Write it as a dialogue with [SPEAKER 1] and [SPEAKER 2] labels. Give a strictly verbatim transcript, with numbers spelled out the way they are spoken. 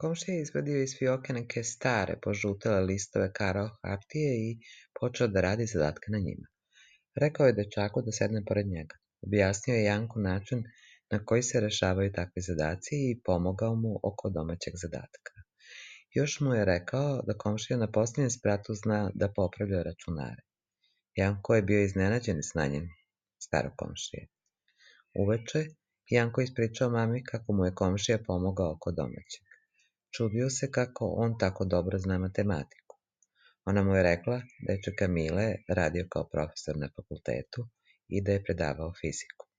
[SPEAKER 1] Komšija je izvadio iz fioke neke stare, požutele listove karo hartije i počeo da radi zadatke na njima. Rekao je dečaku da sedne pored njega. Objasnio je Janku način na koji se rešavaju takvi zadaci i pomogao mu oko domaćeg zadatka. Još mu je rekao da komšija na posljednjem spratu zna da popravlja računare. Janko je bio iznenađen znanjem starog komšije. Uveče, Janko ispričao mami kako mu je komšija pomogao oko domaćeg. Čudio se kako on tako dobro zna matematiku. Ona mu je rekla da je čika Mile radio kao profesor na fakultetu i da je predavao fiziku.